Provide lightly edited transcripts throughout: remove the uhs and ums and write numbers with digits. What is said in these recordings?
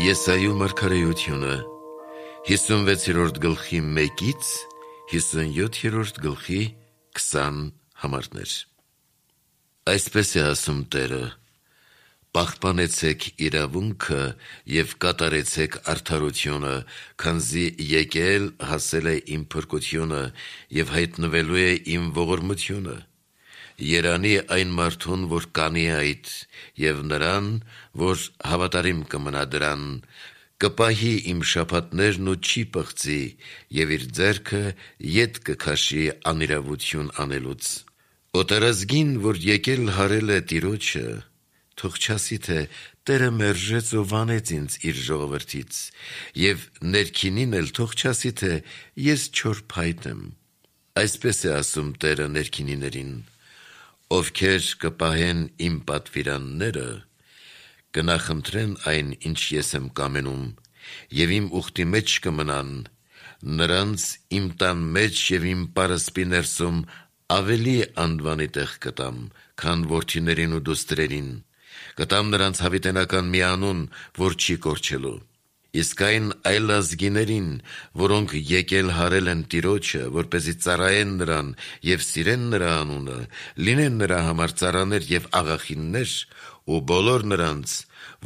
Եսայու մարգարեությունը 56-րդ գլխի 1-ից 57-րդ գլխի 20 համարներ։ Այսպես է ասում Տերը. պահպանեցեք իրավունքը և կատարեցեք արդարությունը, քանզի եկել հասել է իմ փրկությունը և հայտնվելու է իմ ողորմությունը։ Երանի այն մարդուն, որ կանի այդ, և նրան, որ հավատարիմ կմնա դրան, կպահի իմ շաբաթներն ու չի պղծի, և իր ձեռքը ետ կքաշի անիրավություն անելուց։ Օտարազգին, որ եկել հարել է Տիրոջը, թող չասի, թե Տերը մերժեց ու վանեց ինձ իր ժողովրդից, և ներքինին էլ թող չասի, թե ես չոր փայտ եմ։ Այսպես է ասում Տերը ներքինիներին. ովքեր կպահեն իմ պատվիրանները, կնախընտրեն այն, ինչ ես եմ կամենում, և իմ ուխտի մեջ կմնան, նրանց իմ տան մեջ և իմ պարսպի ներսում ավելի անվանի տեղ կտամ, քան որդիներին ու դուստրերին, կտամ նրանց հավիտենական մի անուն, որ չի կորչելու։ Իսկ այն այլազգիներին, որոնք եկել հարել են Տիրոջը, որպեսզի ծառայեն նրան և սիրեն նրա անունը, լինեն նրա համար ծառաներ և աղախիններ, ու բոլոր նրանց,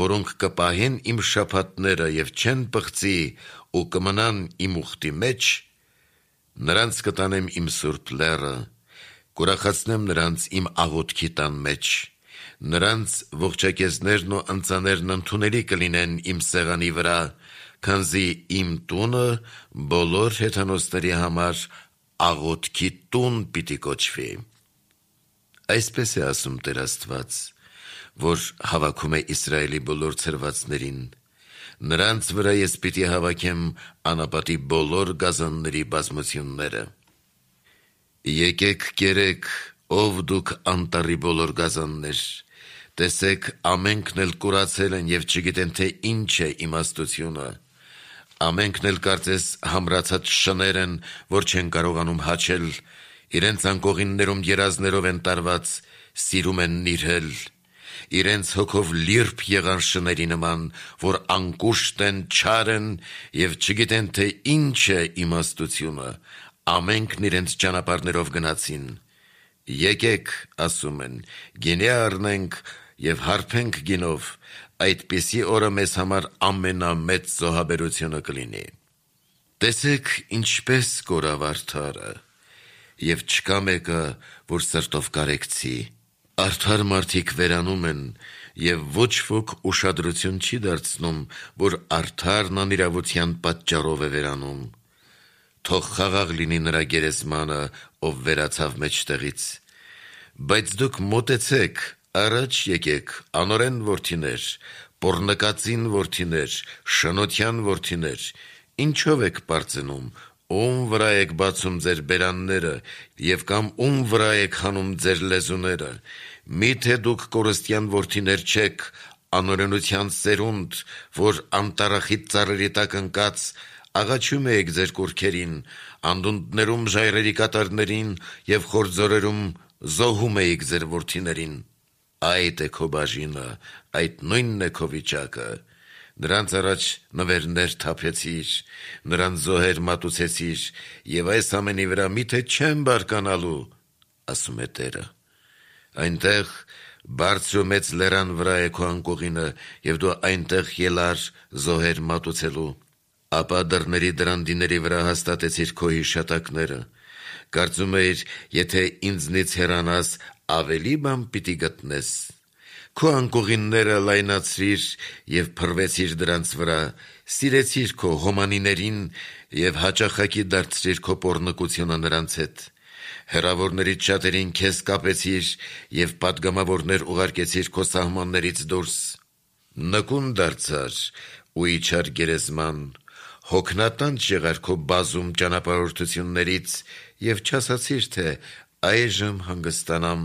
որոնք կպահեն իմ շաբաթները և չեն պղծի ու կմնան իմ ուխտի մեջ, նրանց կտանեմ իմ սուրբ լեռը, կուրախացնեմ նրանց իմ աղոթքի տան մեջ, նրանց ողջակեզներն ու ընծաներն ընդունելի կլինեն իմ սեղանի վրա, քանզի իմ տունը բոլոր հեթանոսների համար աղոթքի տուն պիտի կոչվի։ Այսպես է ասում Տեր Աստված, որ հավաքում է Իսրայելի բոլոր ցրվածներին. նրանց վրա ես պիտի հավաքեմ անապատի բոլոր գազանների բազմությունները։ Եկեք կերեք, ով դուք անտառի բոլոր գազաններ, տեսեք, ամենքն էլ կուրացել են և չգիտեն, թե ինչ է իմաստությունը, ամենքն էլ կարծես համրացած շներ են, որ չեն կարողանում հաչել, իրենց անկողիններում երազներով են տարված, սիրում են նիրհել, իրենց հոգով լիրբ եղան շների նման, որ անկուշտ են, չար են և չգիտեն, թե ինչ է իմաստությունը, ամենքն իրենց ճանապարհներով գնացին։ Եկեք, ասում են, գինի առնենք և հարբենք գինով, այդպիսի օրը մեզ համար ամենամեծ զոհաբերությունը կլինի։ Տեսեք, ինչպես կորավ արդարը, և չկա մեկը, որ սրտով կարեկցի։ Արդար մարդիկ վերանում են, և ոչ ոք ուշադրություն չի դարձնում, որ արդարն անիրավության պատճառով է վերանում։ Թող խաղաղ լինի նրա գերեզմանը, ով վերացավ մեջտեղից։ Բայց դուք մոտեցեք, առաջ եկեք, անօրեն որդիներ, պոռնկածին որդիներ, շնոտյան որդիներ, ինչով եք պարծենում, ում վրա եք բացում ձեր բերանները և կամ ում վրա եք հանում ձեր լեզուները, միթե դուք կորստյան որդիներ չեք, անօրենության սերունդ, որ անտառախիտ ծառերի տակ ընկած, աղաչում էիք ձեր կուռքերին, անդունդներում ժայռերի կատարներին և խորձորերում զոհում էիք ձեր որդիներին։ Այդ է քո բաժինը, այդ նույնն է քո վիճակը։ Նրանց առաջ նվերներ թափեցիր, նրանց զոհեր մատուցեցիր, և այս ամենի վրա միթե չեմ բարկանալու, ասում է Տերը։ Այնտեղ բարձր ու մեծ լեռան վրա է քո անկողինը, և դու այնտեղ ելար զոհեր մատուցելու։ Ապա դռների դրանդիների վրա հաստատեցիր քո հիշատակները, կարծում էիր, եթե ինձնից հեռանաս, ավելի բան պիտի գտնես։ Քո անկողինները լայնացրիր և փռվեցիր դրանց վրա, սիրեցիր քո հոմանիներին և հաճախակի դարձրիր քո պոռնկությունը նրանց հետ։ Հեռավորներից շատերին քեզ կապեցիր և պատգամավորներ ուղարկեցիր քո սահմաններից դուրս։ Նկուն դարձար ու իջար գերեզման, հոգնատանջ եղար քո բազում ճանապարհորդություններից և չասացիր, թե այժմ հանգստանամ,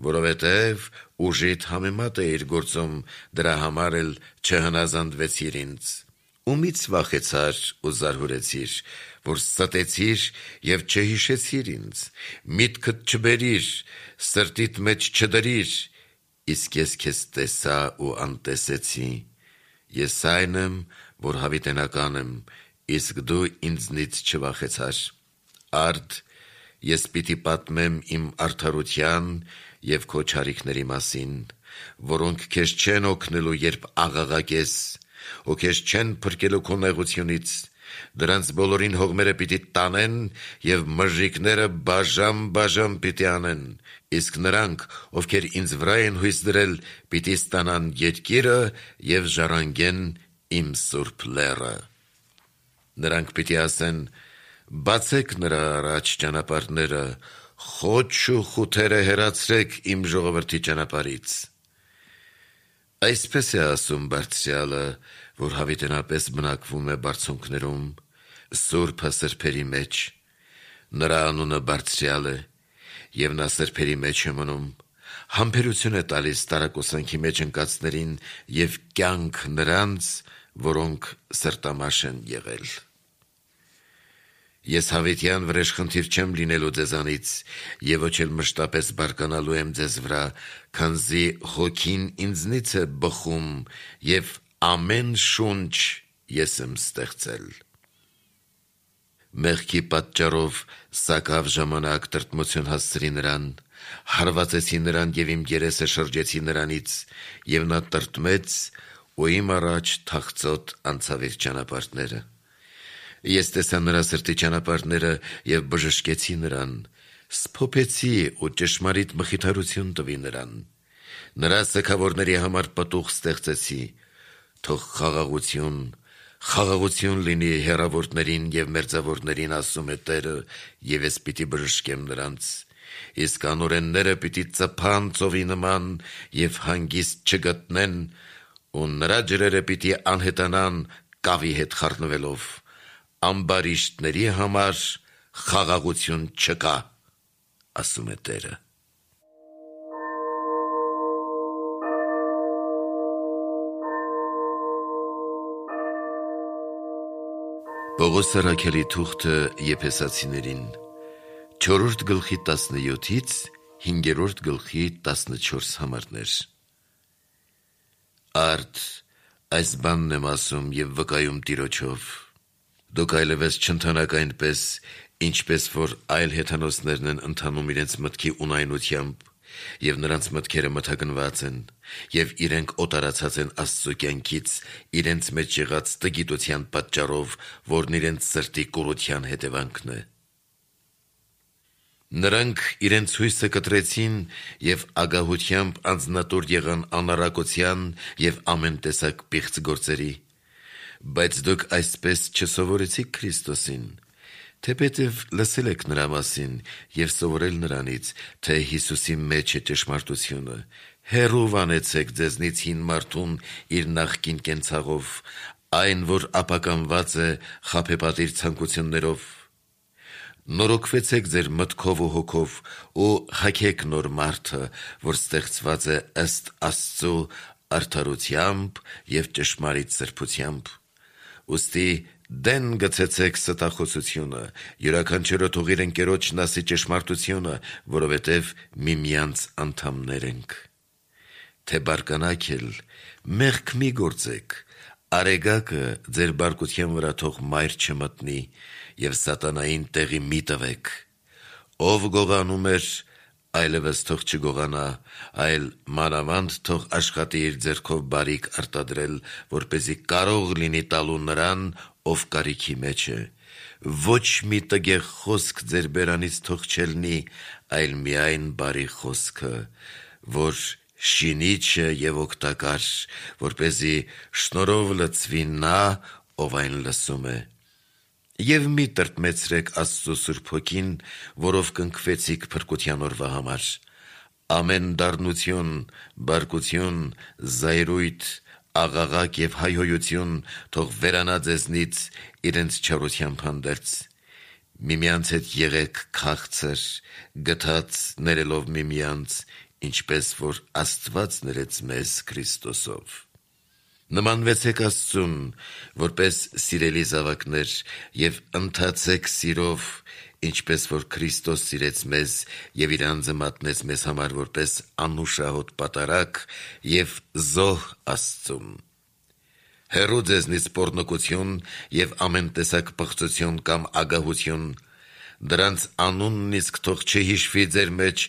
որովհետև ուժիդ համեմատ էիր գործում, դրա համար էլ չհնազանդվեցիր ինձ։ Ումից վախեցար ու զարհուրեցիր, որ ստեցիր և չհիշեցիր ինձ, միտքդ չբերիր, սրտիդ մեջ չդրիր, իսկ ես քեզ տեսա ու անտեսեցի։ Ես այն եմ, որ հավիտենական եմ, իսկ դու ինձնից չվախեցար։ Արդ, ես պիտի պատմեմ իմ արդարության և քո չարիքների մասին, որոնք քեզ չեն օգնելու, երբ աղաղակես, ու քեզ չեն փրկելու քո նեղությունից։ Դրանց բոլորին հողմերը պիտի տանեն և մժիկները բաժամ պիտի անեն, իսկ նրանք, ովքեր ինձ վրա են հույս դրել, պիտի ստանան երկիրը և ժառանգեն իմ սուրբ լեռը։ Նրանք պիտի ասեն. բացեք նրա առաջ ճանապարհները, խոչ ու խութերը հեռացրեք իմ ժողովրդի ճանապարհից։ Այսպես է ասում Բարձրյալը, որ հավիտենապես բնակվում է բարձունքներում, սուրբը սրբերի մեջ։ Նրա անունը Բարձրյալ է, և նա սրբերի մեջ է մնում, համբերություն է տալիս տարակուսանքի մեջ ընկածներին և կյանք նրանց, որոնք սրտամաշ են եղել։ Ես հավիտյան վրեժխնդիր չեմ լինելու ձեզանից, և ոչ էլ մշտապես բարկանալու եմ ձեզ վրա, քանզի հոգին ինձնից է բխում, և ամեն շունչ ես եմ ստեղծել։ Մեղքի պատճառով սակավ ժամանակ տրտմություն հասցրի նրան, հարվածեցի նրան և իմ երեսը շրջեցի նրանից, և նա տրտմեց ու իմ առաջ թախծոտ անցավ իր ճանապարհները։ Ես տեսա նրա սրտի ճանապարհները և բժշկեցի նրան, սփոփեցի ու ճշմարիտ մխիթարություն տվի նրան։ Նրա սգավորների համար պտուղ ստեղծեցի, թող խաղաղություն լինի հեռավորներին և մերձավորներին, ասում է Տերը, և ես պիտի բժշկեմ նրանց։ Իսկ անօրենները պիտի ծփան ծովի նման և հանգիստ չգտնեն, ու նրա ջրերը պիտի անհետանան կավի հետ խառնվելով։ Ամբարիշտների համար խաղաղություն չկա, ասում է Տերը։ Պողոս առաքյալի թուղթը Եփեսացիներին 4-րդ գլխի 17-ից 5-րդ գլխի 14 համարներ։ Արդ, այս բանն եմ ասում և վկայում Տիրոջով. դուք այլևս չընթանաք այնպես, ինչպես որ այլ հեթանոսներն են ընթանում իրենց մտքի ունայնությամբ, և նրանց մտքերը մթագնված են, և իրենք օտարացած են Աստծու կյանքից, իրենց մեջ եղած տգիտության պատճառով, որն իրենց սրտի կուրության հետևանքն է։ Նրանք իրենց հույսը կտրեցին և ագահությամբ անձնատուր եղան անառակության և ամեն տեսակ պիղծ գործերի։ Բայց դուք այսպես չսովորեցիք Քրիստոսին, թեպետև լսել եք նրա մասին և սովորել նրանից, թե Հիսուսի մեջ է ճշմարտությունը, հեռու վանեցեք ձեզնից հին մարդուն իր նախկին կենցաղով, այն, որ ապականված է խաբեբատիր ցանկություններով։ Նորոգվեցեք ձեր մտքով ու հոգով ու հագեք նոր մարդը, որ ստեղծված է ըստ Աստծու արդարությամբ և ճշմարիտ սրբությամբ։ Ուստի դեն գցեցեք ստախոսությունը, յուրաքանչյուրը թող իր ընկերոջն ասի ճշմարտությունը, որովհետև միմյանց անդամներ ենք։ Թե բարկանաք էլ, մեղք մի գործեք, արեգակը ձեր բարկության վրա թող մայր չմտնի, և սատանային տեղի մի տվեք։ Ով գողանում էր, այլևս թող չգողանա, այլ մանավանդ թող աշխատի իր ձեռքով բարիք արտադրել, որպեսզի կարող լինի տալու նրան, ով կարիքի մեջ է։ Ոչ մի տգեղ խոսք ձեր բերանից թող չելնի, այլ միայն բարի խոսքը, որ շինիչ է և օգտակար, որպեսզի շնորհով լցվի նա, ով այն լսում է։ Եվ մի տրտմեցրեք Աստծու Սուրբ Հոգին, որով կնքվեցիք փրկության օրվա համար։ Ամեն դառնություն, բարկություն, զայրույթ, աղաղակ և հայհոյություն թող վերանա ձեզնից իրենց չարությամբ հանդերձ։ Միմյանց հետ եղեք քաղցր, գթած ներելով միմյանց, ինչպես որ Աստված ներեց մեզ Քրիստոսով։ Նմանվեցեք Աստծուն, որպես սիրելի զավակներ, և ընթացեք սիրով, ինչպես որ Քրիստոս սիրեց մեզ և իր անձը մատնեց մեզ համար որպես անուշահոտ պատարագ և զոհ Աստծուն։ հեռու ձեզնից պոռնկություն և ամեն տեսակ պղծություն կամ ագահություն, դրանց անունն իսկ թող չհիշվի ձեր մեջ,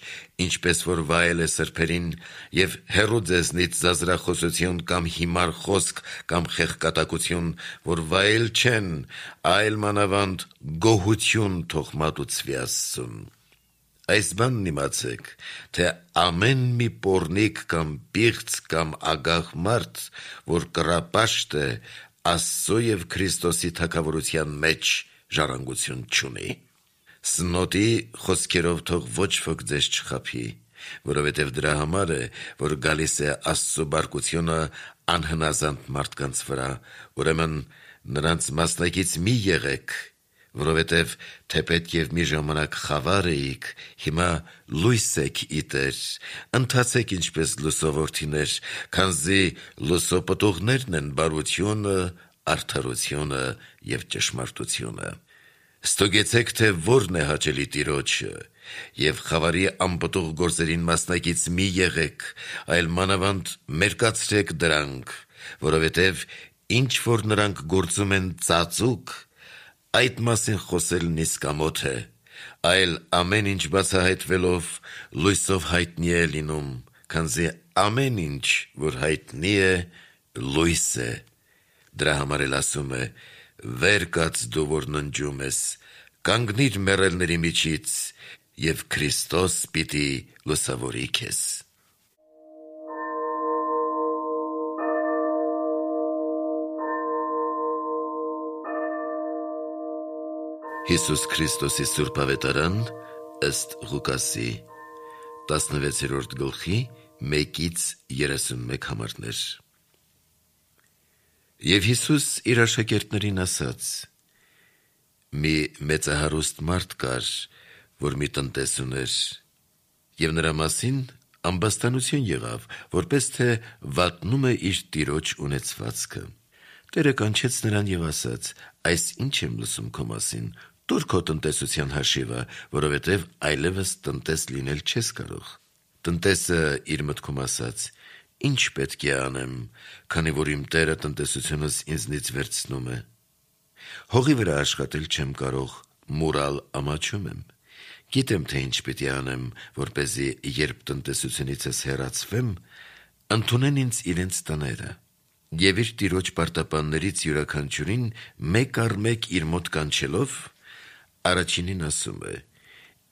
ինչպես որ վայել է սրբերին, և հեռու ձեզնից զազրախոսություն կամ հիմար խոսք կամ խեղկատակություն, որ վայել չեն, այլ մանավանդ գոհություն թող մատուցվի Աստծուն։ Այս բանն իմացեք, թե ամեն մի պոռնիկ կամ պիղծ կամ ագահ մարդ, որ կռապաշտ է, Աստծո և Քրիստոսի թագավորության մեջ ժառանգություն չունի։ Սնոտի խոսքերով թող ոչ ոք ձեզ չխաբի, որովհետև դրա համար է, որ գալիս է Աստծո բարկությունը անհնազանդ մարդկանց վրա, ուրեմն նրանց մասնակից մի եղեք, որովհետև թեպետ և մի ժամանակ խավար էիք, հիմա լույս եք իտեր, ընթացեք ինչպես լուսովորդիներ, քանզի լուսո պտուղներն են բարությունը, արդարությունը և ճշմարտությունը։ Ստուգեցեք, թե որն է հաճելի Տիրոջը, և խավարի անպտուղ գործերին մասնակից մի եղեք, այլ մանավանդ մերկացրեք դրանք, որովհետև ինչ որ նրանք գործում են ծածուկ, այդ մասին խոսելն իսկամոթ է, այլ ամեն ինչ բացահայտվելով լույսով հայտնի է լինում, քանզի ամեն ինչ, որ հայտնի է, լույս է։ Դրա համար էլ ասում է. «Վեր կաց դու, որ ննջում ես, կանգնիր մեռելների միջից, և Քրիստոս պիտի լուսավորի քեզ»։ Հիսուս Քրիստոսի Սուրբ Ավետարան ըստ Ղուկասի 16-րդ գլխի 1-31 համարներ։ Եվ Հիսուս իր աշակերտներին ասաց. մի մեծահարուստ մարդ կար, որ մի տնտես ուներ, և նրա մասին ամբաստանություն եղավ, որպես թե վատնում է իր տիրոջ ունեցվածքը։ Տերը կանչեց նրան և ասաց. այս ինչ եմ լսում քո մասին, տուր քո տնտեսության հաշիվը, որովհետև այլևս տնտես լինել չես կարող։ Տնտեսը իր մտքում ասաց. ինչ պետք է անեմ, քանի որ իմ տերը տնտեսությունս ինձնից վերցնում է։ Հողի վրա աշխատել չեմ կարող, մուրալ ամաչում եմ։ Գիտեմ, թե ինչ պիտի անեմ, որպեսզի երբ տնտեսությունիցս հեռացվեմ, ընդունեն ինձ իրենց տները։ Եվ իր տիրոջ պարտապաններից յուրաքանչյուրին մեկ առ մեկ իր մոտ կանչելով, առաջինին ասում է.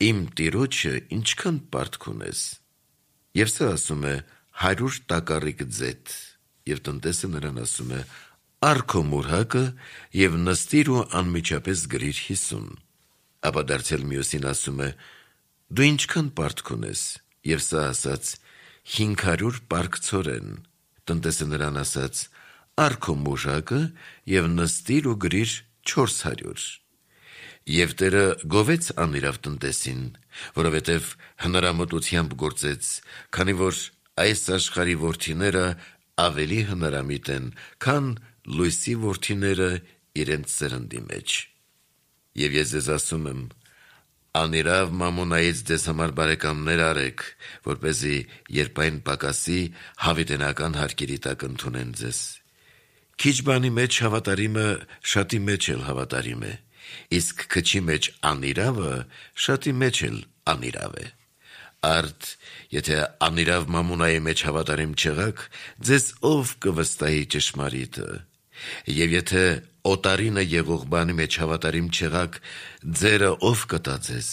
իմ տիրոջը ինչքան պարտք ունես։ Եվ սա ասում է 100 տակառիկ ձեթ, և տնտեսը նրան ասում է. առ քո մուրհակը և նստիր ու անմիջապես գրիր 50։ Ապա դարձյալ մյուսին ասում է. դու ինչքան պարտք ունես։ Եվ սա ասաց. 500 պարկ ցորեն։ Տնտեսը նրան ասաց. առ քո մուրհակը և նստիր ու գրիր 400։ Եվ Տերը գովեց անիրավ տնտեսին, որովհետև հնարամտությամբ գործեց, քանի որ այս աշխարհի որդիները ավելի հնարամիտ են, քան լույսի որդիները իրենց սերնդի մեջ։ Եվ ես ձեզ ասում եմ. անիրավ մամոնայից ձեզ համար բարեկամներ արեք, որպեսզի երբ այն պակասի, հավիտենական հարկերի տակ ընդունեն ձեզ։ Քիչ բանի մեջ հավատարիմը շատի մեջ էլ հավատարիմ է, իսկ քչի մեջ անիրավը շատի մեջ էլ անիրավ է։ Արդ, եթե անիրավ մամոնայի մեջ հավատարիմ չեղաք, ձեզ ով կվստահի ճշմարիտը։ Եվ եթե օտարինը եղող բանի մեջ հավատարիմ չեղաք, ձերը ով կտա ձեզ։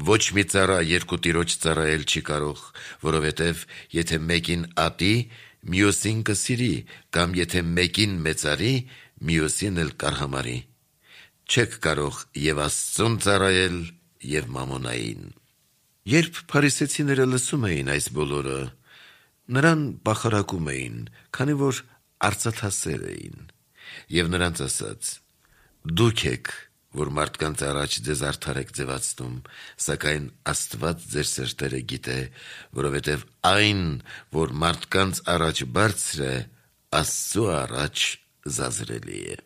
Ոչ մի ծառա երկու տիրոջ ծառայել չի կարող, որովհետև եթե մեկին ատի, մյուսին կսիրի, կամ եթե մեկին մեծարի, մյուսին էլ կարհամարի։ Չեք կարող և Աստծուն ծառայել, և մամոնային։ Երբ փարիսեցիները լսում էին այս բոլորը, նրան բախարակում էին, քանի որ արծաթասեր էին, և նրանց ասաց. դուք եք, որ մարդկանց առաջ ձեզ արդար եք ձևացնում, սակայն Աստված ձեր սրտերը գիտե, որովհետև այն, որ մարդկանց առաջ բարձր է, Աստծու առաջ զազրելի է։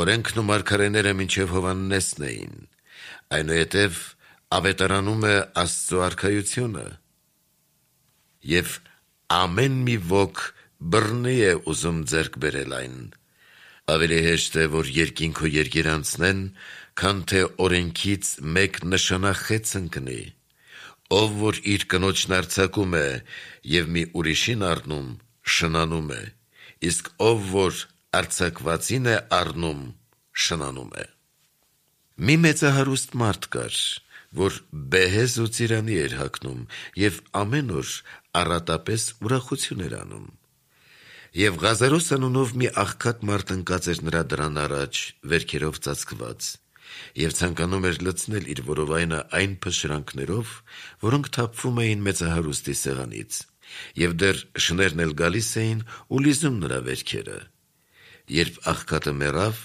Օրենքն ու մարգարեները մինչև Հովհաննեսն էին, այնուհետև ավետարանում է Աստծո արքայությունը։ Եվ ամեն մի ոք բռնի է ուզում ձեռք բերել այն։ Ավելի հեշտ է, որ երկինքո երկերանցնեն, քան թե օրենքից մեկ նշանախեց ընկնի։ Ով որ իր կնոջն արձակում է և մի ուրիշին առնում, շնանում է, իսկ ով որ արձակվածին է առնում, շնանում է։ Մի մեծահարուստ մարդ կար, որ բեհեզ ու ծիրանի էր հագնում և ամեն օր առատապես ուրախություն էր անում։ Եվ Ղազարոս անունով մի աղքատ մարդ ընկած էր նրա դռան առաջ, վերքերով ծածկված, և ցանկանում էր լցնել իր որովայնը այն փշրանքներով, որոնք թափվում էին մեծահարուստի սեղանից, և դեռ շներն էլ գալիս էին ու լիզում նրա վերքերը։ Երբ աղքատը մեռավ,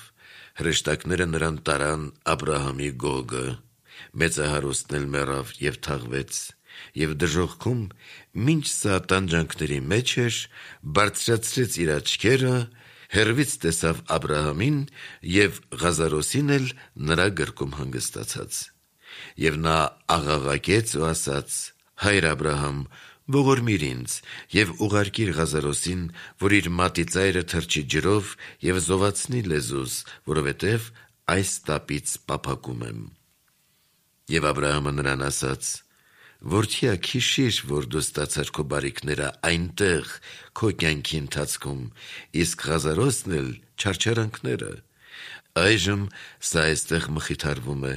հրեշտակները նրան տարան Աբրահամի գոգը, մեծահարուստն էլ մեռավ և թաղվեց, և դժոխքում, մինչ սա տանջանքների մեջ էր, բարձրացրեց իր աչքերը, հեռվից տեսավ Աբրահամին և Ղազարոսին էլ նրա գրկում հանգստացած։ Եվ նա աղաղակեց ու ասաց. «Հայր Աբրահամ, ողորմիր ինձ և ուղարկիր Ղազարոսին, որ իր մատի ծայրը թրջի ջրով և զովացնի լեզուս, որովհետև այս տապից պափակում եմ»։ Եվ Աբրահամը նրան ասաց. «Որդյակ, հիշիր, որ դու ստացար քո բարիքները այնտեղ քո կյանքի ընթացքում, իսկ Ղազարոսն էլ չարչարանքները։ Այժմ սա այստեղ մխիթարվում է,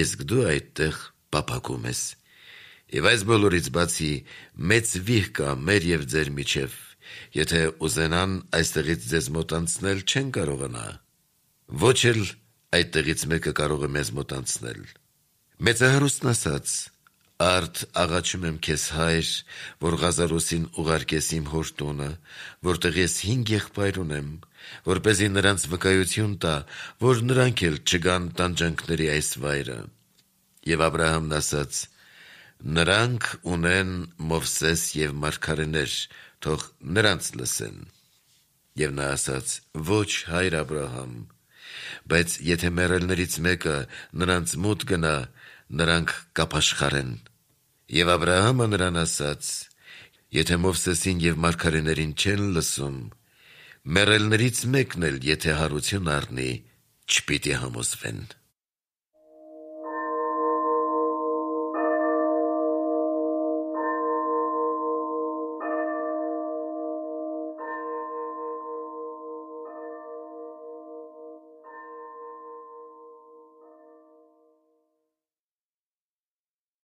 իսկ դու այդտեղ պափակում ես։ Եվ այս բոլորից բացի մեծ վիհ կա մեր և ձեր միջև, եթե ուզենան այստեղից ձեզ մոտ անցնել, չեն կարողանա, ոչ էլ այդտեղից մեկը կարող է մեզ մոտ անցնել»։ Մեծահարուստն ասաց. «Արդ աղաչում եմ քեզ, հայր, որ Ղազարոսին ուղարկես իմ հոր տունը, որտեղ ես 5 եղբայր ունեմ, որպեսզի նրանց վկայություն տա, որ նրանք էլ չգան տանջանքների այս վայրը»։ Եվ Աբրահամն ասաց. «Նրանք ունեն Մովսես և մարգարեներ, թող նրանց լսեն»։ Եվ նա ասաց. «Ոչ, հայր Աբրահամ, բայց եթե մեռելներից մեկը նրանց մոտ գնա, նրանք կապաշխարեն»։ Եվ Աբրահամը նրան ասաց. «Եթե Մովսեսին և մարգարեներին չեն լսում, մեռելներից մեկն էլ եթե հարություն առնի, չպիտի համոզվեն»։